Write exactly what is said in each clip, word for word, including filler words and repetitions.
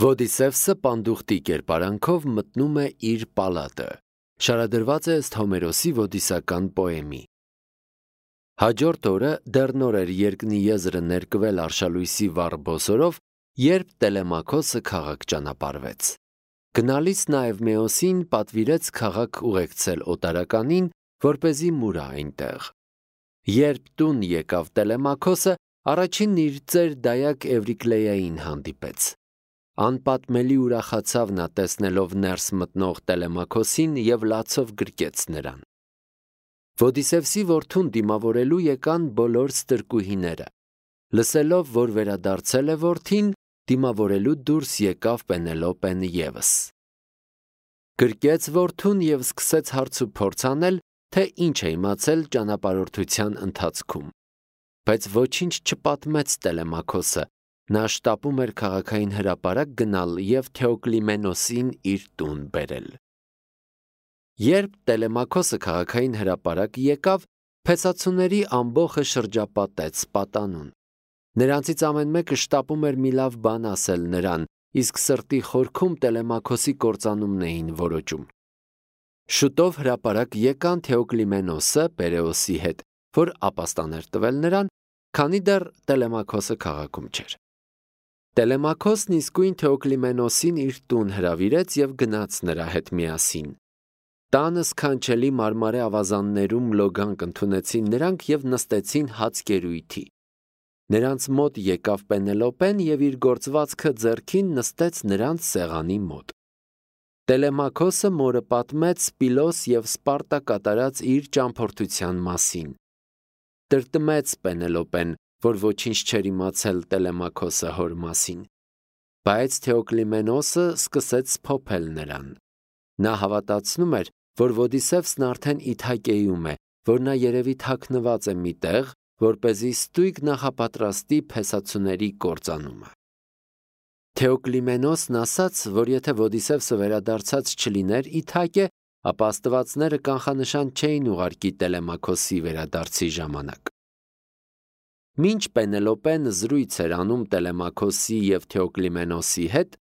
Ոդիսևսը պանդուխտի կերպարանքով մտնում է իր պալատը։ Շարադրված է ըստ Հոմերոսի ոդիսական պոեմի։ Հաջորդ օրը դեռ նոր էր երկնի եզրը ներկվել արշալույսի վառ բոսորով, երբ Տելեմաքոսը քաղաք ճանապարհվեց։ Գնալիս նա Էվմեոսին պատվիրեց քաղաք ուղեկցել օտարականին, որպեսզի մուրա այնտեղ։ Երբ տուն եկավ Տելեմաքոսը, առաջինն իր ծեր դայակ Էվրիկլեյային հանդիպեց։ Անպատմելի ուրախացավ նա տեսնելով ներս մտնող Տելեմաքոսին և լացով գրկեց նրան։ Ոդիսևսի որդուն դիմավորելու եկան բոլոր ստրկուհիները։ Լսելով, որ վերադարձել է որդին, դիմավորելու դուրս եկավ Պենելոպեն ևս։ Գրկեց որդուն և սկսեց հարց ու փորձ անել, թե ինչ է իմացել ճանապարհորդության ընթացքում։ Բայց ոչինչ չպատմեց Տելեմաքոսը, նա շտապում էր քաղաքային հրապարակ գնալ և Թեոկլիմենոսին իր տուն բերել։ Երբ Տելեմաքոսը քաղաքային հրապարակ եկավ, փեսացուների ամբոխը շրջապատեց պատանուն։ Նրանցից ամեն մեկը շտապում էր մի լավ բան ասել նրան, իսկ սրտի խորքում Տելեմաքոսի կործանումն էին որոճում։ Շուտով հրապարակ եկան Թեոկլիմենոսը Պերեոսի հետ, որ ապաստան էր տվել նրան, քանի դեռ Տելեմաքոսը քաղաքում չէր։ Տելեմաքոսն իսկույն Թեոկլիմենոսին իր տուն հրավիրեց և գնաց նրա հետ միասին։ Տանը սքանչելի մարմարե ավազաններում լոգանք ընդունեցին նրանք և նստեցին հաց կերույթի։ Նրանց մոտ եկավ Պենելոպեն և իր գործվածքը ձեռքին նստեց նրանց սեղանի մոտ։ Տելեմաքոսը մորը պատմեց Սպիլոս և Սպարտա կատարած իր ճամփորդության մասին։ Տրտմեց Պենելոպեն, որ ոչինչ չէր իմացել Տելեմաքոսը հոր մասին։ Բայց Թեոկլիմենոսը սկսեց սփոփել նրան։ Նա հավատացնում էր, որ Ոդիսևսն արդեն Իթակեյում է, որ նա երևի թաքնված է մի տեղ, որպեսզի ստույգ նախապատրաստի փեսացուների կործանումը։ Թեոկլիմենոսն ասաց, որ եթե Ոդիսևսը վերադարձած չլիներ Իթակե, ապա աստվածները կանխանշան չէին ուղարկի Տելեմաքոսի վերադարձի ժամանակ։ Մինչ Պենելոպեն զրույց էր անում Տելեմաքոսի և Թեոկլիմենոսի հետ,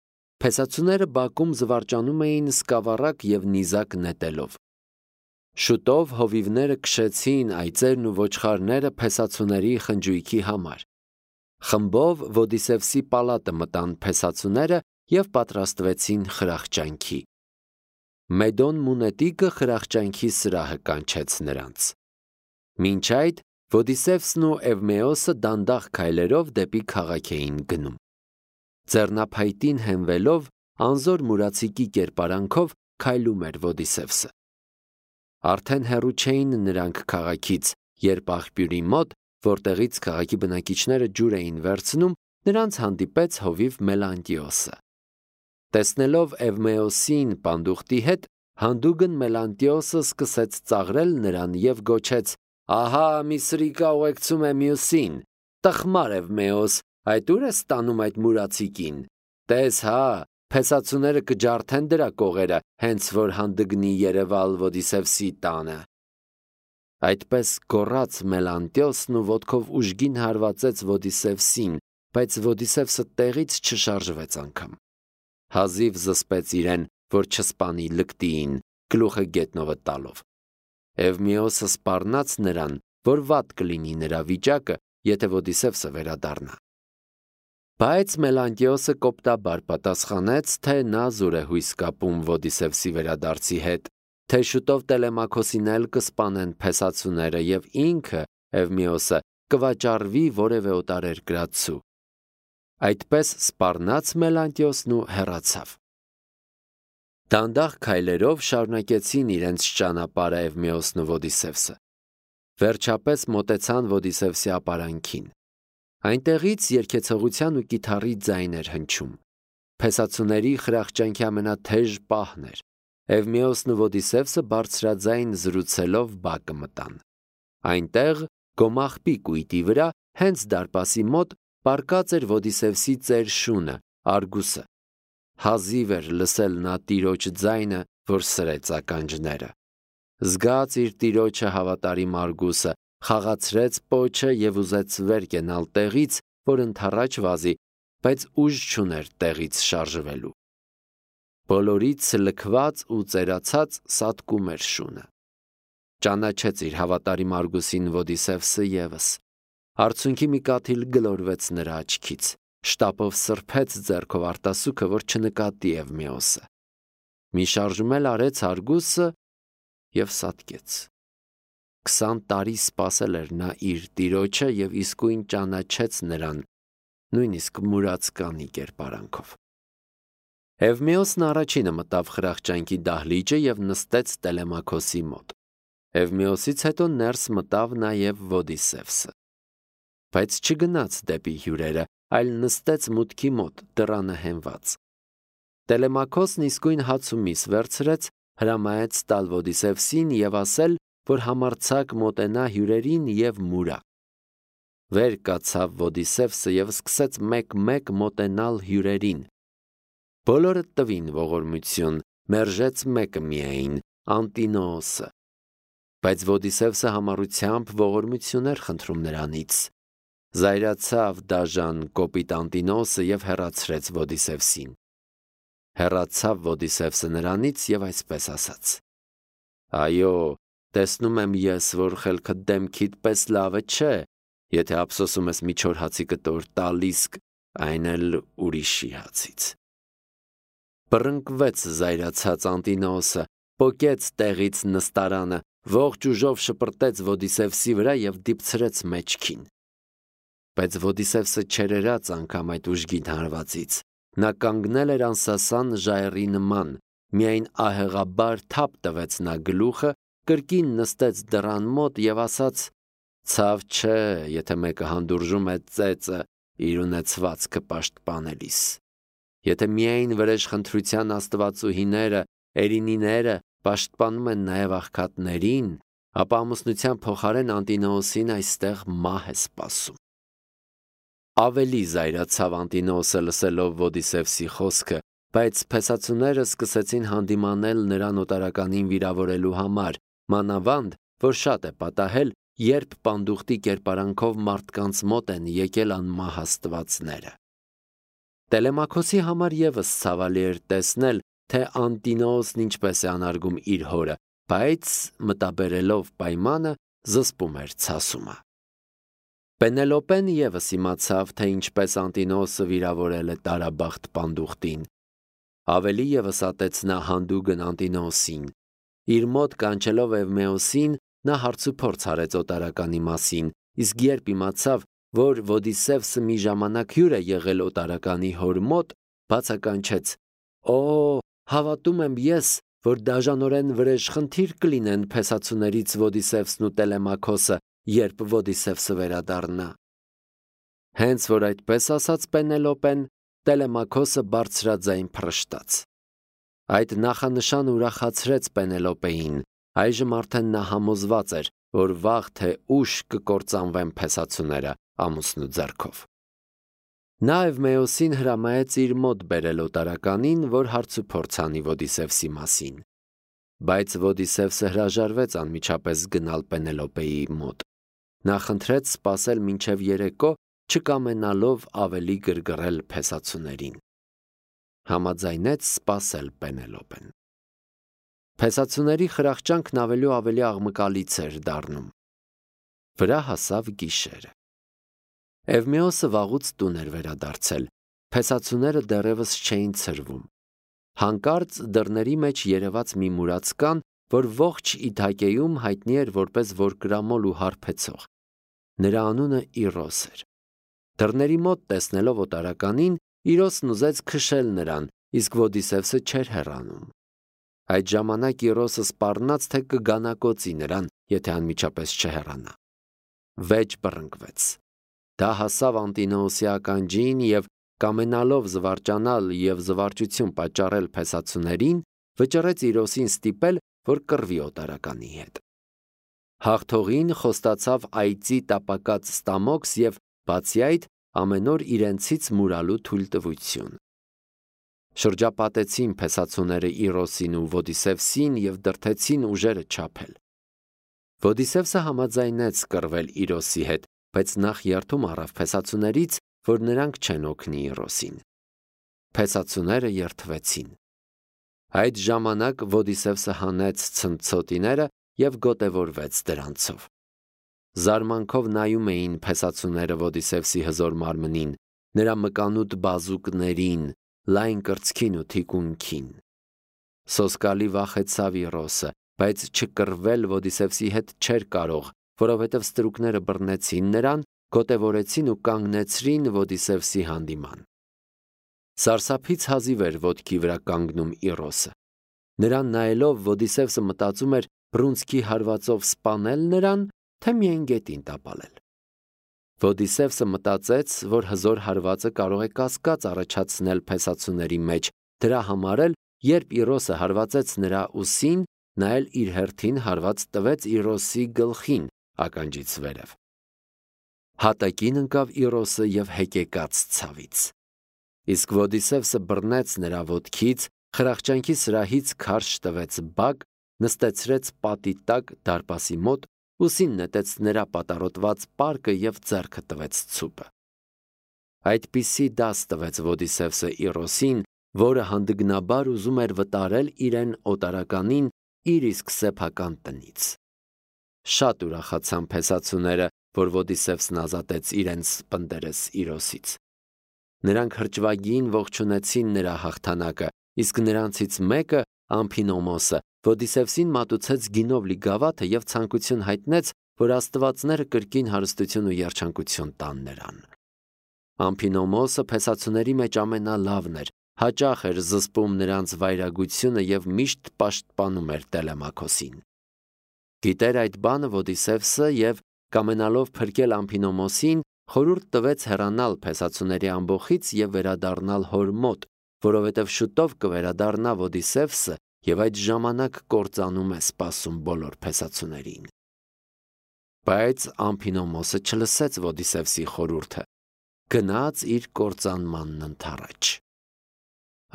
փեսացուները բակում զվարճանում էին սկավառակ և նիզակ նետելով։ Շուտով հովիվները քշեցին այծերն ու ոչխարները փեսացուների խնջույքի համար։ Խմբով Ոդիսևսի պալատը մտան փեսացուները և պատրաստվեցին խրախճանքի։ Մեդոն Մունետիկը խրախճանքի սրահը կանչեց նրանց։ Մինչ այդ Ոդիսևսն ու Էվմեոսը դանդաղ քայլերով դեպի քաղաք էին գնում։ Ձեռնափայտին հենվելով, անզոր մուրացիկի կերպարանքով քայլում էր Ոդիսևսը։ Արդեն հեռու չէին նրանք քաղաքից, երբ աղբյուրի մոտ, որտեղից քաղաքի բնակիչները ջուր էին վերցնում, նրանց հանդիպեց հովիվ Մելանտիոսը։ Տեսնելով Էվմեոսին պանդուխտի հետ, հանդուգն Մելանտիոսը սկսեց ծաղրել նրան և գոչեց. «Ահա մի սրիկա ուղեկցում է մյուսին, տխմար Էվմեոս, այդ ուր ես տանում այդ մուրացիկին, տես հա, փեսացուները կջարդեն դրա կողերը, հենց որ հանդգնի երևալ Ոդիսևսի տանը»։ Այդպես գոռաց Մելանտիոսն ու ոտքով ուժգին հարվածեց Ոդիսևսին, բայց Ոդիսևսը տեղից չշարժվեց անգամ։ Հազիվ զսպեց իրեն, որ չսպանի լկտիին, գլուխը գետնովը տալով։ Էվմեոսը սպառնաց նրան, որ վատ կլինի նրա վիճակը, եթե Ոդիսևսը վերադառնա։ Բայց Մելանտիոսը կոպտաբար պատասխանեց, թե նա զուր է հույս կապում Ոդիսևսի վերադարձի հետ, թե շուտով Տելեմաքոսին էլ կսպանեն փեսացուները և ինքը, Էվմեոսը, կվաճառվի որևէ օտարերկրացու։ Այդպես սպառնաց Մելանտիոսն ու հեռացավ։ Դանդաղ քայլերով շարունակեցին իրենց ճանապարհը Էվմեոսն ու Ոդիսևսը։ Վերջապես մոտեցան Ոդիսևսի ապարանքին։ Այնտեղից երգեցողության ու կիթառի ձայն էր հնչում։ Փեսացուների խրախճանքի ամենաթեժ պահն էր։ Էվմեոսն ու Ոդիսևսը բարձրաձայն զրուցելով բակը մտան։ Այնտեղ գոմաղբի կույտի վրա, հենց դարպասի մոտ, պառկած էր Ոդիսևսի ծեր շունը, Արգուսը։ Հազիվ էր լսել նա տիրոջ ձայնը, որ սրեց ականջները։ Զգաց իր տիրոջը հավատարիմ Արգուսը, խաղացրեց պոչը և ուզեց վեր կենալ տեղից, որ ընդառաջ վազի, բայց ուժ չուներ տեղից շարժվելու։ Բոլորից լքված ու ծերացած սատկում էր շունը։ Ճանաչեց իր հավատարիմ Արգուսին Ոդիսևսը ևս։ Արցունքի մի կաթիլ գլորվեց նրա աչքից, շտապով սրբեց ձեռքով արտասուքը, որ չնկատի Էվմեոսը։ Մի շարժում էլ արեց Արգուսը և սատկեց։ Քսան տարի սպասել էր նա իր տիրոջը և իսկույն ճանաչեց նրան, նույնիսկ մուրացկանի կերպարանքով։ Էվմեոսն առաջինը մտավ խրախճանքի դահլիճը և նստեց Տելեմաքոսի մոտ։ Էվմեոսից հետո ներս մտավ նաև Ոդիսևսը։ Բայց չգնաց դեպի հյուրերը, այլ նստեց մուտքի մոտ, դռանը հենված։ Տելեմաքոսն իսկույն հաց ու միս վերցրեց, հրամայեց տալ Ոդիսևսին և ասել, որ համարձակ մոտենա հյուրերին և մուրա։ Վեր կացավ Ոդիսևսը և սկսեց մեկ-մեկ մոտենալ հյուրերին։ Բոլորը տվին ողորմություն, մերժեց մեկը միայն, Անտինոոսը։ Բայց Ոդիսևսը համառությամբ ողորմություն էր խնդրում նրանից։ Զայրացավ դաժան կոպիտ Անտինոոսը և հեռացրեց Ոդիսևսին։ Հեռացավ Ոդիսևսը նրանից և այսպես ասաց. «Այո, տեսնում եմ ես, որ խելքդ դեմքիդ պես լավը չէ, եթե ափսոսում ես մի չոր հացի կտոր տալիս, այն էլ ուրիշի հացից»։ Բռնկվեց զայրացած Անտինոոսը, պոկեց տեղից նստարանը, ողջ ուժով շպրտեց Ոդիսևսի վրա և դիպցրեց մեջքին։ Բայց Ոդիսևսը չերերաց անգամ այդ ուժգին հարվածից։ Նա կանգնել էր անսասան ժայռի նման, միայն ահեղաբար թափ տվեց նա գլուխը, կրկին նստեց դռան մոտ և ասաց. «Ցավ չէ, եթե մեկը հանդուրժում է ծեծը իր ունեցվածքը պաշտպանելիս։ Եթե միայն վրեժխնդրության աստվածուհիները, էրինիները պաշտպանում են նաև աղքատներին, ապա ամուսնության փոխարեն Անտինոոսին այստեղ մահ է սպասում»։ Ավելի զայրացավ Անտինոոսը լսելով Ոդիսևսի խոսքը, բայց փեսացուները սկսեցին հանդիմանել նրան օտարականին վիրավորելու համար, մանավանդ, որ շատ է պատահել, երբ պանդուխտի կերպարանքով մարդկանց մոտ են եկել անմահ աստվածները։ Տելեմաքոսի համար ևս ցավալի էր տեսնել, թե Անտինոոսն ինչպես է անարգում իր հորը, բայց մտաբերելով պայմանը զսպում էր ցասումը։ Պենելոպեն ևս իմացավ, թե ինչպես Անտինոոսը վիրավորել է տարաբախտ պանդուխտին։ Ավելի ևս ատեց նա հանդուգն Անտինոոսին։ Իր մոտ կանչելով Էվմեոսին, նա հարցուփորձ արեց օտարականի մասին, իսկ երբ իմացավ, որ Ոդիսևսը մի ժամանակ հյուր է եղել օտարականի հոր մոտ, բացականչեց. «Օ, հավատում եմ ես, որ դաժանորեն վրեժխնդիր կլինեն փեսացուներից Ոդիսևսն ու Տելեմաքոսը, երբ Ոդիսևսը վերադառնա»։ Հենց որ այդպես ասաց Պենելոպեն, Տելեմաքոսը բարձրաձայն փռշտաց։ Այդ նախանշանը ուրախացրեց Պենելոպեին։ Այժմ արդեն նա համոզված էր, որ վաղ թե ուշ կկործանվեն փեսացուները ամուսնու ձեռքով։ Նա Էվմեոսին հրամայեց իր մոտ բերել օտարականին, որ հարցուփորձ անի Ոդիսևսի մասին։ Բայց Ոդիսևսը հրաժարվեց անմիջապես գնալ Պենելոպեի մոտ։ Նա խնդրեց սպասել մինչև երեկո, չկամենալով ավելի գրգռել փեսացուներին։ Համաձայնեց սպասել Պենելոպեն։ Փեսացուների խրախճանքն ավելի ու ավելի աղմկալից էր դառնում։ Վրա հասավ գիշերը։ Էվմեոսը վաղուց տուն էր վերադարձել։ Փեսացուները դեռևս չէին ցրվում։ Հանկարծ դռների մեջ երևաց մի մուրացկան, որ ողջ Իթակեում հայտնի էր որպես որկրամոլ ու հարբեցող։ Նրա անունը Իրոս էր։ Դռների մոտ տեսնելով օտարականին, Իրոսն ուզեց քշել նրան, իսկ Ոդիսևսը չէր հեռանում։ Այդ ժամանակ Իրոսը սպառնաց, թե կգանակոծի նրան, եթե անմիջապես չհեռանա։ Վեճ բռնկվեց։ Դա հասավ Անտինոոսի ականջին և կամենալով զվարճանալ և զվարճություն պատճառել փեսացուներին, վճռեց Իրոսին ստիպել, որ կռվի օտարականի հետ։ Հաղթողին խոստացավ այծի տապակած ստամոքս և, բացի այդ, ամեն օր իրենցից մուրալու թույլտվություն։ Շրջապատեցին փեսացուները Իրոսին ու Ոդիսևսին և դրդեցին ուժերը չափել։ Ոդիսևսը համաձայնեց կռվել Իրոսի հետ, բայց նախ երդում առավ փեսացուներից, որ նրանք չեն օգնի Իրոսին։ Փեսացուները երդվեցին։ Այդ ժամանակ Ոդիսևսը հանեց ցնցոտիները և գոտևորվեց դրանցով։ Զարմանքով նայում էին փեսացուները Ոդիսևսի հզոր մարմնին, նրա մկանուտ բազուկներին, լայն կրծքին ու թիկունքին։ Սոսկալի վախեցավ Իրոսը, բայց չկռվել Ոդիսևսի հետ չէր կարող, որովհետև ստրուկները բռնեցին նրան, գոտևորեցին ու կանգնեցրին Ոդիսևսի հանդիման։ Սարսափից հազիվ էր ոտքի վրա կանգնում Իրոսը։ Նրան նայելով Ոդիսևսը մտածում էր բռունցքի հարվածով սպանել նրան, թե միայն գետին տապալել։ Ոդիսևսը մտածեց, որ հզոր հարվածը կարող է կասկած առաջացնել փեսացուների մեջ, դրա համար էլ, երբ Իրոսը հարվածեց նրա ուսին, նա էլ իր հերթին հարված տվեց Իրոսի գլխին ականջից վերև։ Հատակին ընկավ Իրոսը և հեկեկաց ցավից։ Իսկ Ոդիսևսը բռնեց նրա ոտքից, խրախճանքի սրահից քարշ տվեց բակ, նստեցրեց պատի տակ դարպասի մոտ, ուսին նետեց նրա պատառոտված պարկը և ձեռքը տվեց ցուպը։ Այդպիսի դաս տվեց Ոդիսևսը Իրոսին, որը հանդգնաբար ուզում էր վտարել իրեն օտարականին իր իսկ սեփական տնից։ Շատ ուրախացան փեսացուները, որ Ոդիսևսն ազատեց իրենց պնդերես Իրոսից։ Նրանք հրճվագին ողջունեցին նրա հաղթանակը, իսկ նրանցից մեկը, Ամփինոմոսը, Ոդիսևսին մատուցեց գինով լի գավաթը և ցանկություն հայտնեց, որ աստվածները կրկին հարստություն ու երջանկություն տան նրան։ Ամփինոմոսը փեսացուների մեջ ամենալավն էր, հաճախ էր զսպում նրանց վայրագությունը և միշտ պաշտպանում էր Տելեմաքոսին։ Գիտեր այդ բանը Ոդիսևսը և, կամենալով փրկել Ամփինոմոսին, խորհուրդ տվեց հեռանալ փեսացուների ամբոխից և վերադառնալ հոր մոտ, որովհետև շուտով կվերադառնա Ոդիսևսը և այդ ժամանակ կործանում է սպասում բոլոր փեսացուներին։ Բայց Ամփինոմոսը չլսեց Ոդիսևսի խորհուրդը, գնաց իր կործանմանն ընդառաջ։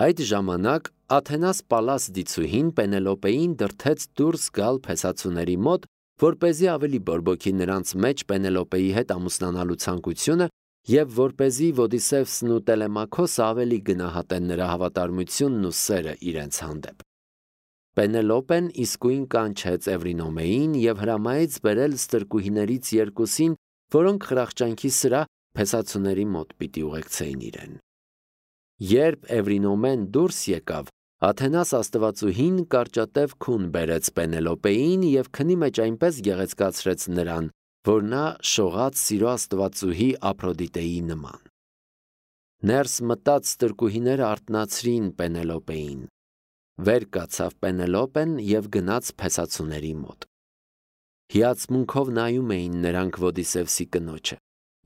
Այդ ժամանակ Աթենաս Պալաս դիցուհին Պենելոպեին դրդեց դուրս գալ փեսացուների մոտ, որպեսզի ավելի բորբոքի նրանց մեջ Պենելոպեի հետ ամուսնանալու ցանկությունը և որպեսզի Ոդիսևսն ու Տելեմաքոսը ավելի գնահատեն նրա հավատարմությունն ու սերը իրենց հանդեպ։ Պենելոպեն իսկույն կանչեց Էվրինոմեին և հրամայեց բերել ստրկուհիներից երկուսին, որոնք խրախճանքի սրահ փեսացուների մոտ պիտի ուղեկցեին իրեն։ Երբ Էվրինոմեն դուրս եկավ, Աթենաս աստվածուհին կարճատև քուն բերեց Պենելոպեին և քնի մեջ այնպես գեղեցկացրեց նրան, որ նա շողաց սիրո աստվածուհի Ափրոդիտեի նման։ Ներս մտած ստրկուհիները արթնացրին Պենելոպեին։ Վեր կացավ Պենելոպեն և գնաց փեսացուների մոտ։ Հիացմունքով նայում էին նրանք Ոդիսևսի կնոջը,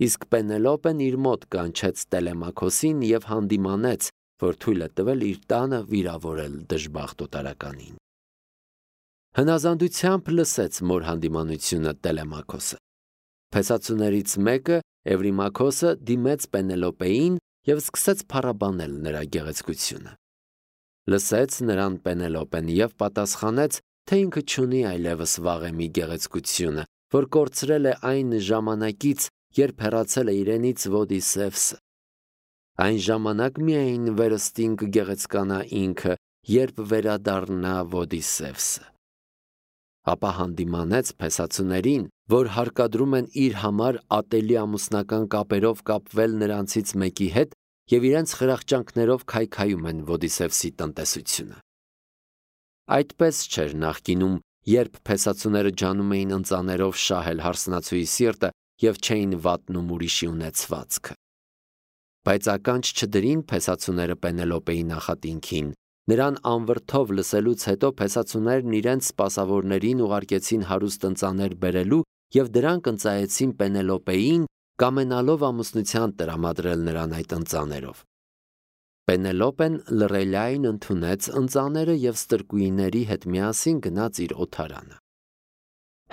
իսկ Պենելոպեն իր մոտ կանչեց Տելեմաքոսին և հանդիմանեց, որ թույլ է տվել իր տանը վիրավորել դժբախտ օտարականին։ Հնազանդությամբ լսեց մոր հանդիմանությունը Տելեմաքոսը։ Փեսացուներից մեկը, Էվրիմաքոսը, դիմեց Պենելոպեին և սկսեց փառաբանել նրա գեղեցկությունը։ Լսեց նրան Պենելոպեն և պատասխանեց, թե ինքը չունի այլևս վաղեմի գեղեցկությունը, որ կորցրել է այն ժամանակից, երբ հեռացել է իրենից Ոդիսևսը։ Այն ժամանակ միայն վերստին կգեղեցկանա ինքը, երբ վերադառնա Ոդիսևսը։ Ապա հանդիմանեց փեսացուներին, որ հարկադրում են իր համար ատելի ամուսնական կապերով կապվել նրանցից մեկի հետ և իրենց խրախճանքներով քայքայում են Ոդիսևսի տնտեսությունը։ Այդպես չէր նախկինում, երբ փեսացուները ջանում էին ընծաներով շահել հարսնացուի սիրտը և չէին վատնում ուրիշի ունեցվածքը։ Բայց ականջ չդրին փեսացուները Պենելոպեի նախատինքին։ Նրան անվրդով լսելուց հետո փեսացուներն իրենց սպասավորներին ուղարկեցին հարուստ ընծաներ բերելու և դրանք ընծայեցին Պենելոպեին, կամենալով ամուսնության տրամադրել նրան այդ ընծաներով։ Պենելոպեն լռելիայն ընդունեց ընծաները և ստրկուհիների հետ միասին գնաց իր օթարանը։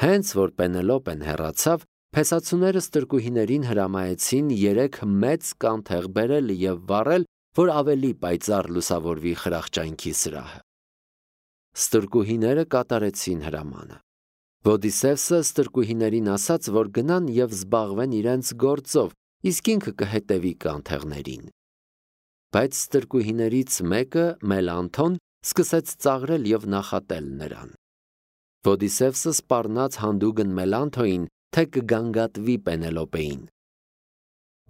Հենց որ Պենելոպեն հեռացավ, փեսացուները ստրկուհիներին հրամայեցին երեք մեծ կանթեղ բերել և վառել, որ ավելի պայծառ լուսավորվի խրախճանքի սրահը։ Ստրկուհիները կատարեցին հրամանը։ Ոդիսևսը ստրկուհիներին ասաց, որ գնան և զբաղվեն իրենց գործով, իսկ ինքը կհետևի կանթեղներին։ Բայց ստրկուհիներից մեկը, Մելանթոն, սկսեց ծաղրել եւ նախատել նրան։ Ոդիսևսը սպառնաց հանդուգն Մելանթոյին, թե կգանգատվի Պենելոպեին։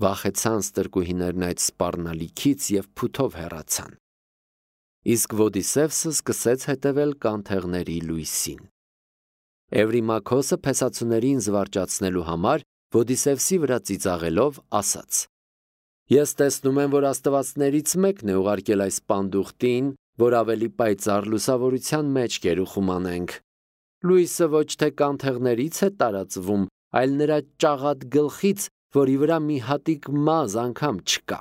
Վախեցան ստրկուհիներն այդ սպառնալիքից եւ փութով հեռացան։ Իսկ Ոդիսևսը սկսեց հետևել կանթեղների լույսին։ Էվրիմաքոսը փեսացուներին զվարճացնելու համար Ոդիսևսի վրա ծիծաղելով ասաց. Ես տեսնում եմ, որ աստվածներից մեկն է ուղարկել այս պանդուխտին, որ ավելի պայծառ լուսավորության մեջ գերուխում անենք։ Լույսը ոչ թե կանթեղներից է տարածվում, այլ նրա ճաղատ գլխից, որի վրա մի հատիկ մազ անգամ չկա։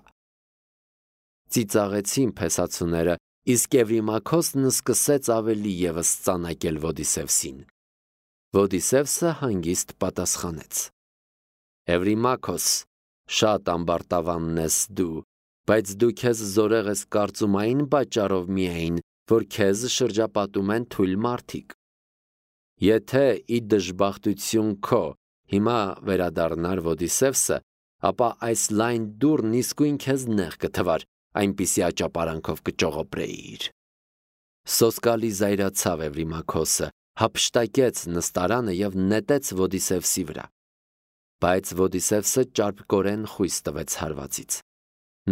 Ծիծաղեցին փեսացուները, իսկ Էվրիմաքոսն սկսեց ավելի ևս ծանակել Ոդիսևսին։ Ոդիսևսը հանգիստ պատասխանեց. Էվրիմաքոս, շատ ամբարտավանն ես դու, բայց դու քեզ զորեղ ես կարծում այն պատճառով միայն, որ քեզ շրջապատում են թույլ մարդիկ։ Եթե ի դժբախտություն քո հիմա վերադառնար Ոդիսևսը, ապա այս լայն դուռն իսկույն քեզ նեղ կթվար, այնպիսի աճապարանքով կճողոպրեիր։ Սոսկալի զայրացավ Էվրիմաքոսը, հափշտակեց նստարանը եւ նետեց Ոդիսևսի վրա։ Բայց Ոդիսևսը ճարպկորեն խույս տվեց հարվածից։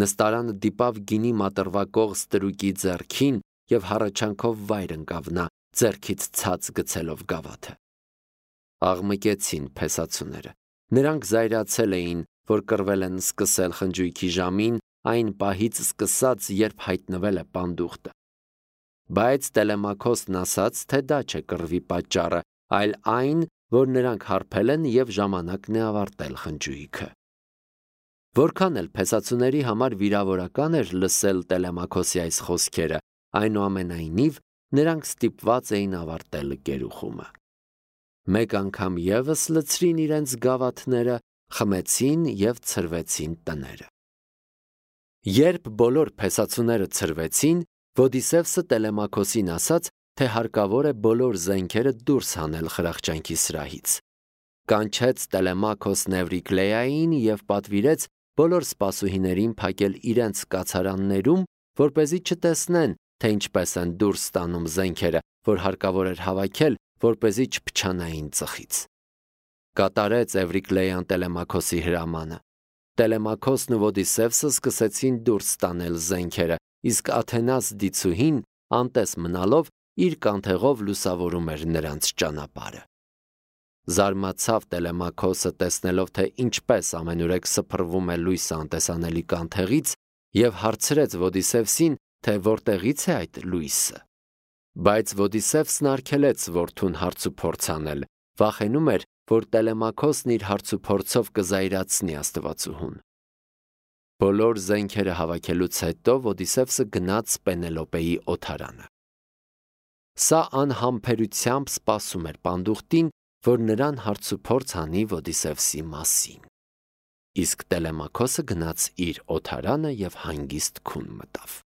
Նստարանը դիպավ գինի մատրվակող ստրուկի ձեռքին եւ հառաչանքով վայր ընկավ նա, ձեռքից ցած գցելով գավաթը։ Աղմկեցին փեսացուները։ Նրանք զայրացել էին, որ կռվել են սկսել խնջույքի ժամին, այն պահից սկսած, երբ հայտնվել է պանդուխտը։ Բայց Տելեմաքոսն ասաց, թե դա չէ կռվի պատճառը, այլ այն, որ նրանք հարբել են եւ ժամանակն է ավարտել խնջույքը։ Որքան էլ փեսացուների համար վիրավորական էր լսել Տելեմաքոսի այս խոսքերը, այնուամենայնիվ նրանք ստիպված էին ավարտել գերուխումը։ Մեկ անգամ ևս լցրին իրենց գավաթները, խմեցին եւ ցրվեցին տները։ Երբ բոլոր փեսացուները ցրվեցին, Ոդիսևսը Տելեմաքոսին ասաց, թե հարկավոր է բոլոր զենքերը դուրս հանել խրախճանքի սրահից։ Կանչեց Տելեմաքոսն Էվրիկլեային եւ պատվիրեց բոլոր սպասուհիներին փակել իրենց կացարաններում, որպեսզի չտեսնեն, թե ինչպես են դուրս ստանում զենքերը, որ հարկավոր էր հավաքել, որպեսզի չփչանային ծխից։ Կատարեց Էվրիկլեյան Տելեմաքոսի հրամանը։ Տելեմաքոսն ու Ոդիսևսը սկսեցին դուրս ստանել զենքերը, իսկ Աթենաս դիցուհին, անտես մնալով, իր կանթեղով լուսավորում էր նրանց ճանապարհը։ Զարմացավ Տելեմաքոսը տեսնելով, թե ինչպես ամենուրեք սփռվում է լույսը անտեսանելի կանթեղից, եւ հարցրեց Ոդիսևսին, թե որտեղից է այդ լույսը։ Բայց Ոդիսևսն արգելեց որդուն հարցուփորձ անել, վախենում էր, որ Տելեմաքոսն իր հարցուփորձով կզայրացնի աստվածուհուն։ Բոլոր զենքերը հավաքելուց հետո Ոդիսևսը գնաց Պենելոպեի օթարանը։ Սա անհամբերությամբ սպասում էր պանդուխտին, որ նրան հարցուփորձ անի Ոդիսևսի մասին։ Իսկ Տելեմաքոսը գնաց իր օթարանը եւ հանգիստ քուն մտավ։